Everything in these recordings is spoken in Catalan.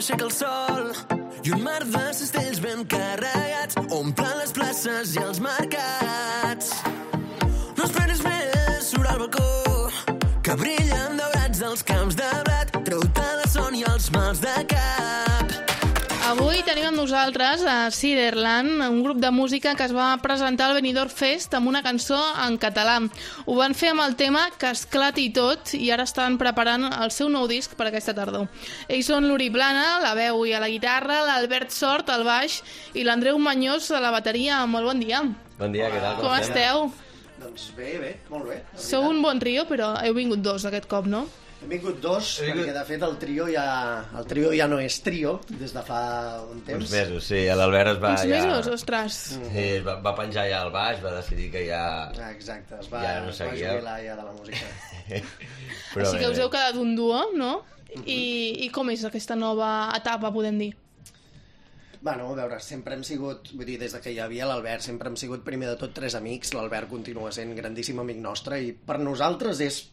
s'aixeca el sol i un mar de cistells ben carregats omplen les places i els mercats. No esperis més, surt al balcó que brillen daurats dels camps de blat. Treu-te la son i els mals de cap. Avui tenim amb nosaltres a Ciderland, un grup de música que es va presentar al Benidorm Fest amb una cançó en català. Ho van fer amb el tema Que esclati tot i ara estan preparant el seu nou disc per aquesta tardor. Ells són l'Uri Plana, la veu i a la guitarra, l'Albert Sort al baix i l'Andreu Mañós a la bateria. Molt bon dia. Bon dia, què tal? Com esteu? Doncs bé, molt bé. Sou un bon trio, però heu vingut dos aquest cop, no? Hem vingut dos, perquè de fet el trio ja no és trio des de fa un temps. Uns mesos, sí, l'Albert es va... Uns mesos, ostres. Sí, va penjar ja al baix, va decidir que ja... Exacte, es va jubilar ja de la música. Però així que us heu quedat un duo, no? I com és aquesta nova etapa, podem dir? Bueno, a veure, sempre hem sigut, vull dir, des de que hi havia l'Albert, sempre hem sigut primer de tot tres amics. L'Albert continua sent grandíssim amic nostre i per nosaltres és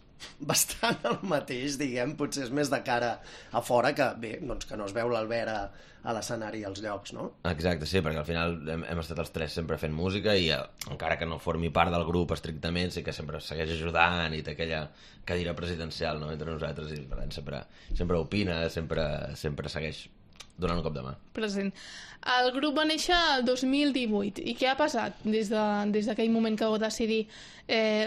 bastant el mateix, diguem, potser és més de cara a fora que, bé, doncs que no es veu l'Albert a l'escenari als llocs, no? Exacte, sí, perquè al final hem estat els tres sempre fent música i encara que no formi part del grup estrictament, sí que sempre segueix ajudant i té aquella cadira presidencial, no?, entre nosaltres i per tant sempre opina, sempre segueix donant un cop de mà. Present. El grup va néixer el 2018 i què ha passat des d'aquell moment que vau decidir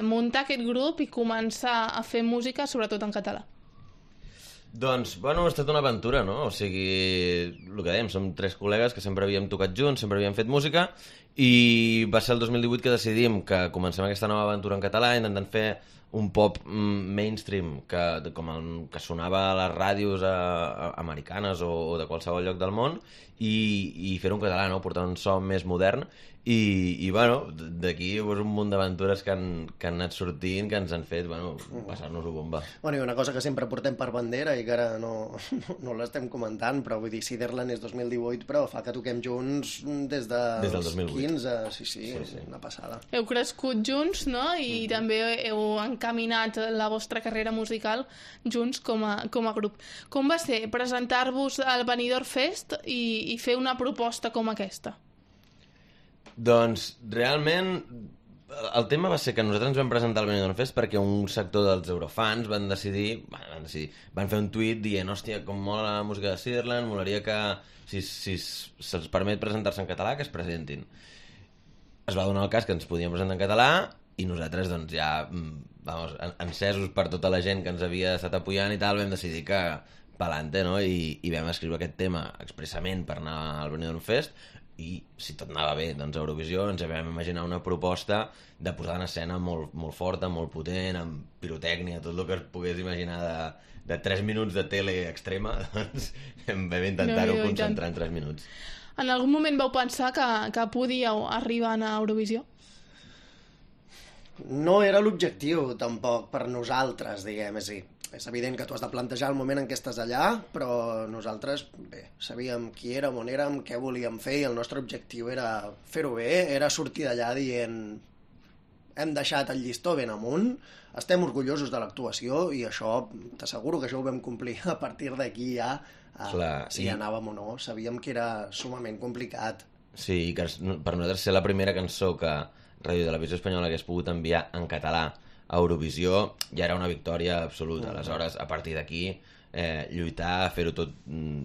muntar aquest grup i començar a fer música, sobretot en català? Doncs, bueno, ha estat una aventura, no? O sigui, el que dèiem, som tres col·legues que sempre havíem tocat junts, sempre havíem fet música i va ser el 2018 que decidim que comencem aquesta nova aventura en català intentant fer un pop mainstream que sonava a les ràdios americanes o de qualsevol lloc del món i fer-ho en català, no? Portar un so més modern i bueno, d'aquí un munt d'aventures que han anat sortint, que ens han fet, bueno, passar-nos-ho bomba. Bueno, i una cosa que sempre portem per bandera i que ara no l'estem comentant, però vull dir, Ciderland és 2018, però fa que toquem junts des del 2015, sí, una passada. Heu crescut junts, no? I també heu encaminat la vostra carrera musical junts com a grup. Com va ser presentar-vos al Benidorm Fest i fer una proposta com aquesta? Doncs, realment, el tema va ser que nosaltres ens vam presentar al Benidorm Fest perquè un sector dels eurofans van fer un tuit dient, hòstia, com mola la música de Ciderland, molaria que, si se'ls permet presentar-se en català, que es presentin. Es va donar el cas que ens podíem presentar en català i nosaltres, doncs, ja, encesos per tota la gent que ens havia estat apoyant i tal, vam decidir que pa'lante, no? I vam escriure aquest tema expressament per anar al Benidorm Fest i si tot anava bé, doncs a Eurovisió ens vam imaginar una proposta de posar en escena molt, molt forta, molt potent, amb pirotècnia, tot el que es pogués imaginar de 3 minuts de tele extrema, doncs vam intentar-ho concentrar en 3 minuts. En algun moment vau pensar que podíeu arribar a Eurovisió? No era l'objectiu, tampoc, per nosaltres, diguem, és evident que tu has de plantejar el moment en què estàs allà, però nosaltres, bé, sabíem qui érem, on érem, què volíem fer, i el nostre objectiu era fer-ho bé, era sortir d'allà dient hem deixat el llistó ben amunt, estem orgullosos de l'actuació, i això, t'asseguro que això ho vam complir a partir d'aquí ja, si anàvem o no, sabíem que era sumament complicat. Sí, i que per nosaltres ser la primera cançó que Ràdio Televisió Espanyola hagués pogut enviar en català a Eurovisió ja era una victòria absoluta. Aleshores, a partir d'aquí, lluitar, fer-ho tot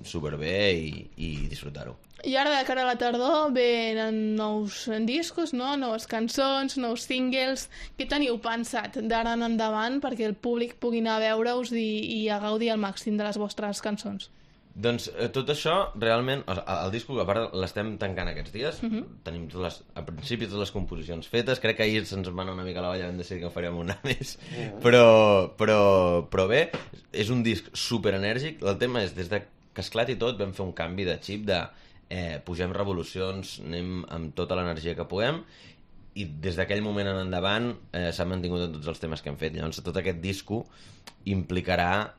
superbé i disfrutar-ho. I ara, de cara a la tardor, venen nous discos, no? Noves cançons, nous singles. Què teniu pensat d'ara en endavant perquè el públic pugui anar a veure-us i a gaudir al màxim de les vostres cançons? Doncs tot això, realment, el disco, a part l'estem tancant aquests dies, tenim a principi totes les composicions fetes, crec que ahir se'ns va anar una mica a la olla, vam decidir que en faríem una més, però bé, és un disc superenèrgic, el tema és, des que esclati tot, vam fer un canvi de xip de pugem revolucions, anem amb tota l'energia que puguem, i des d'aquell moment en endavant s'ha mantingut en tots els temes que hem fet. Llavors tot aquest disco implicarà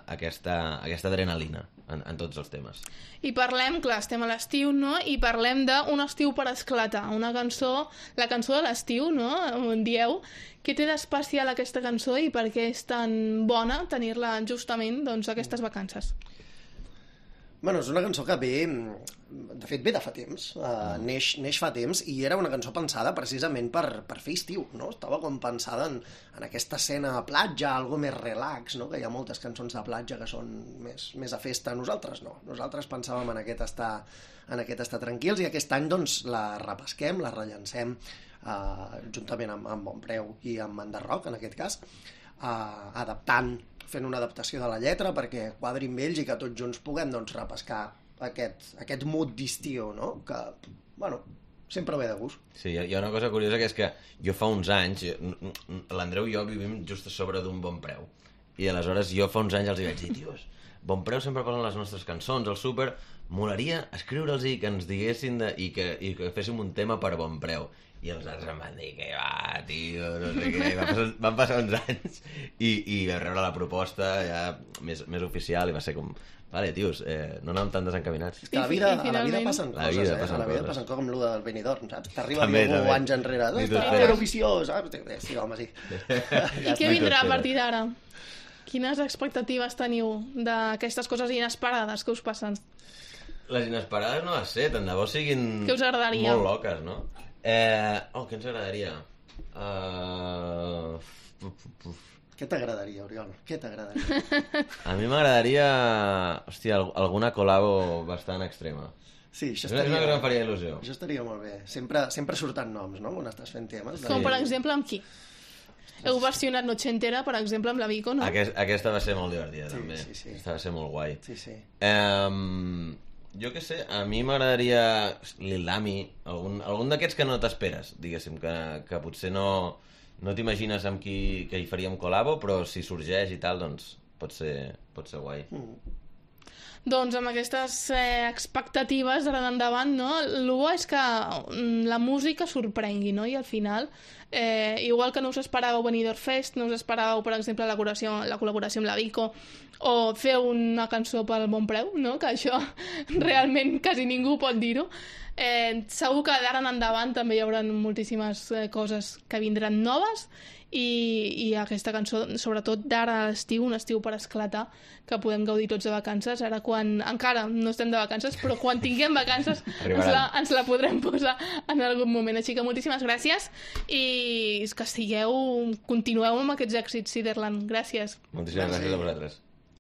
aquesta adrenalina en tots els temes. I parlem, clar, estem a l'estiu, no? I parlem d'un estiu per esclatar, una cançó, la cançó de l'estiu, no? On dieu, què té d'especial aquesta cançó i per què és tan bona tenir-la justament, doncs, aquestes vacances? Bueno, és una cançó que ve... De fet, ve de fa temps. Neix fa temps i era una cançó pensada precisament per fer estiu, no? Estava com pensada en aquesta escena a platja, algo més relax, no? Que hi ha moltes cançons de platja que són més a festa. Nosaltres no. Nosaltres pensàvem en aquest estar tranquils i aquest any doncs la repesquem, la rellancem juntament amb Bonpreu i amb Enderroc, en aquest cas, fent una adaptació de la lletra perquè quadri amb ells i que tots junts puguem doncs, repescar aquest mood d'estiu, no? Que, bueno, sempre ve de gust. Sí, hi ha una cosa curiosa que és que jo fa uns anys, l'Andreu i jo vivim just a sobre d'un Bonpreu, i aleshores jo fa uns anys els hi vaig dir, tios, Bonpreu sempre posen les nostres cançons al súper, molaria escriure'ls i que ens diguessin i que féssim un tema per Bonpreu. I els altres em van dir que va, tio, no sé què, van passar uns anys i vam rebre la proposta ja més oficial i va ser com, vale, tios, no anàvem tan desencaminats. És que a la vida passen coses, a la vida passen coses com el Benidorm, saps? T'arriba algú anys enrere, Eurovisió, saps? Sí, home, sí. I què vindrà a partir d'ara? Quines expectatives teniu d'aquestes coses inesperades que us passen? Les inesperades no les sé, tant de bo siguin què us agradaria? Molt loques, no? Què ens agradaria? Què t'agradaria, Oriol? Què t'agradaria? A mi m'agradaria, hòstia, alguna col·labo bastant extrema. Sí, això estaria... És una cosa que em faria il·lusió. Això estaria molt bé. Sempre surten noms, no?, quan estàs fent temes. Com, per exemple, amb qui? Heu versionat Noche Entera, per exemple, amb la Vico, no? Aquesta va ser molt divertida, sí, també. Sí. Aquesta va ser molt guai. Sí. Jo què sé, a mi m'agradaria Lil Dami, algun d'aquests que no t'esperes, diguéssim, que potser no t'imagines amb qui que hi faríem col·labo, però si sorgeix i tal, doncs pot ser guai. Doncs amb aquestes expectatives d'ara endavant, no? El bo és que la música sorprengui, no? I al final, igual que no us esperàveu Benidorm Fest, no us esperàveu, per exemple, la col·laboració amb la Vico, o fer una cançó pel Bonpreu, no? Que això realment quasi ningú pot dir-ho. Segur que d'ara endavant també hi haurà moltíssimes coses que vindran noves i aquesta cançó, sobretot d'ara a l'estiu, un estiu per esclatar, que podem gaudir tots de vacances, ara quan encara no estem de vacances, però quan tinguem vacances ens la podrem posar en algun moment. Així que moltíssimes gràcies i que continueu amb aquests èxits, Ciderland. Gràcies. Moltíssimes gràcies a vosaltres.